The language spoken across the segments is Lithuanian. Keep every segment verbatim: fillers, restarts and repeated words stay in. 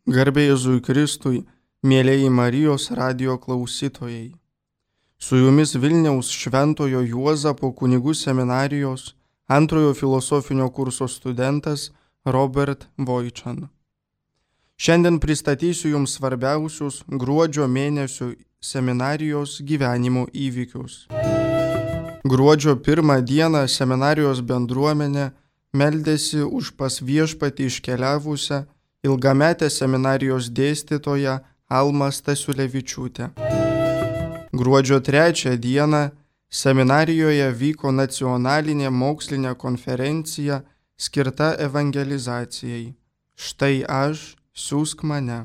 Garbė Jėzui Kristui, mėlieji Marijos radijo klausytojai. Su jumis Vilniaus Šventojo Juozapo kunigų seminarijos antrojo filosofinio kurso studentas Robert Voičan. Šiandien pristatysiu jums svarbiausius gruodžio mėnesio seminarijos gyvenimo įvykius. Gruodžio pirmą dieną seminarijos bendruomenė meldėsi už pas Viešpatį iškeliavusią ilgametę seminarijos dėstytoją Almą Stasiulevičiūtę. Gruodžio trečią dieną seminarijoje vyko nacionalinė mokslinė konferencija skirta evangelizacijai. Štai aš, siųsk mane.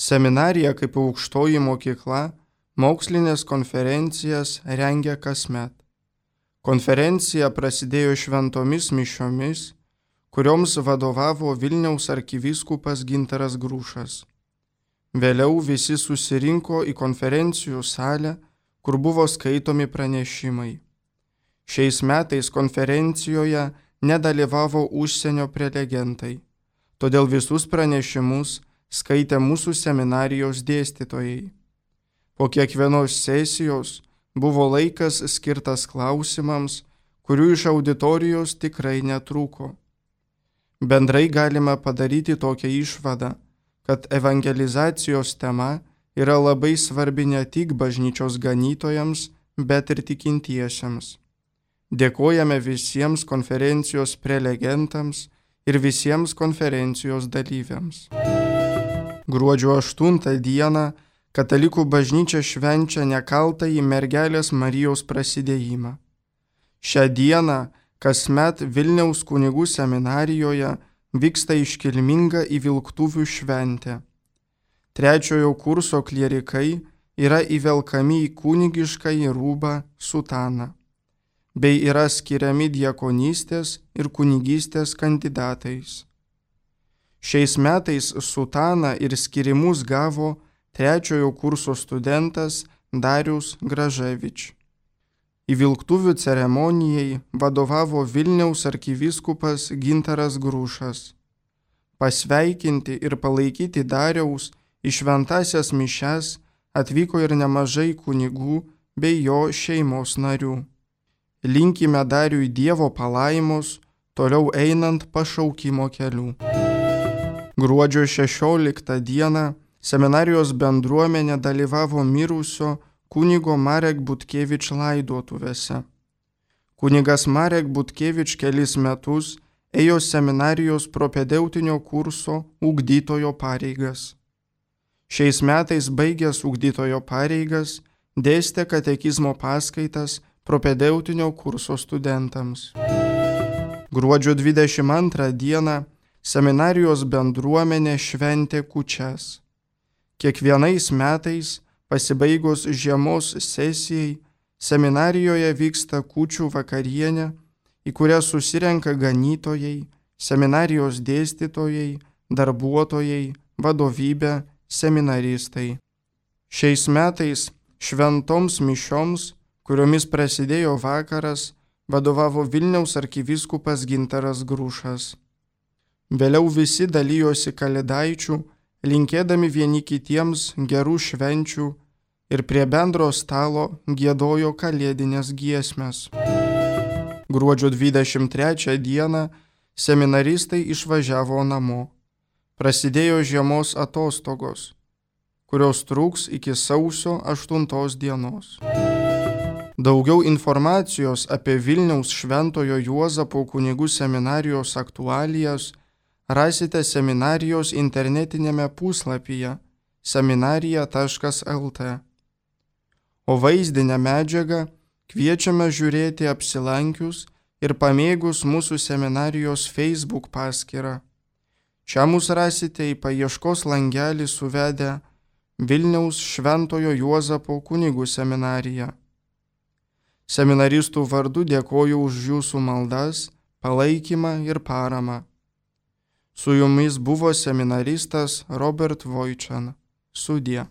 Seminarija kaip aukštoji mokykla mokslinės konferencijas rengia kasmet. Konferencija prasidėjo šventomis mišiomis, kurioms vadovavo Vilniaus arkivyskupas Gintaras Grušas. Vėliau visi susirinko į konferencijų salę, kur buvo skaitomi pranešimai. Šiais metais konferencijoje nedalyvavo užsienio prelegentai, todėl visus pranešimus skaitė mūsų seminarijos dėstytojai. Po kiekvienos sesijos buvo laikas skirtas klausimams, kurių iš auditorijos tikrai netrūko. Bendrai galima padaryti tokią išvadą, kad evangelizacijos tema yra labai svarbi ne tik bažnyčios ganytojams, bet ir tikintiesiems. Dėkojame visiems konferencijos prelegentams ir visiems konferencijos dalyviams. Gruodžio aštuntą dieną Katalikų bažnyčia švenčia nekaltąjį mergelės Marijos prasidėjimą. Šią dieną kasmet Vilniaus kunigų seminarijoje vyksta iškilminga įvilktuvių šventė. Trečiojo kurso klierikai yra įvelkami į kunigiškąjį rūbą sutaną, bei yra skiriami diakonystės ir kunigystės kandidatais. Šiais metais sutaną ir skirimus gavo trečiojo kurso studentas Darius Graževič. Įvilktuvių ceremonijai vadovavo Vilniaus arkivyskupas Gintaras Grušas. Pasveikinti ir palaikyti Dariaus į šventąsias mišias atvyko ir nemažai kunigų bei jo šeimos narių. Linkime Dariui Dievo palaimos, toliau einant pašaukimo keliu. Gruodžio šešioliktą dieną seminarijos bendruomenė dalyvavo mirusio kunigo Marek Butkevič laidotuvėse. Kunigas Marek Butkevič kelis metus ėjo seminarijos propedeutinio kurso ugdytojo pareigas. Šiais metais baigęs ugdytojo pareigas dėstė katekizmo paskaitas propedeutinio kurso studentams. Gruodžio dvidešimt antrą dieną seminarijos bendruomenė šventė kūčias. Kiekvienais metais pasibaigus žiemos sesijai, seminarijoje vyksta kūčių vakarienė, į kurią susirenka ganytojai, seminarijos dėstytojai, darbuotojai, vadovybė, seminaristai. Šiais metais šventoms mišioms, kuriomis prasidėjo vakaras, vadovavo Vilniaus arkivyskupas Gintaras Grušas. Vėliau visi dalijosi kalėdaičių, linkėdami vieni kitiems gerų švenčių ir prie bendro stalo giedojo kalėdinės giesmes. Gruodžio dvidešimt trečią dieną seminaristai išvažiavo namo. Prasidėjo žiemos atostogos, kurios truks iki sausio aštuntos dienos. Daugiau informacijos apie Vilniaus Šventojo Juozapo kunigų seminarijos aktualijas rasite seminarijos internetinėme puslapyje seminarija taškas el t. O vaizdinę medžiagą kviečiame žiūrėti apsilankius ir pamėgus mūsų seminarijos Facebook paskyrą. Čia mus rasite į paieškos langelį suvedę Vilniaus Šventojo Juozapo kunigų seminariją. Seminaristų vardu dėkoju už jūsų maldas, palaikymą ir paramą. Su jumis buvo seminaristas Robert Voičan. Sudie.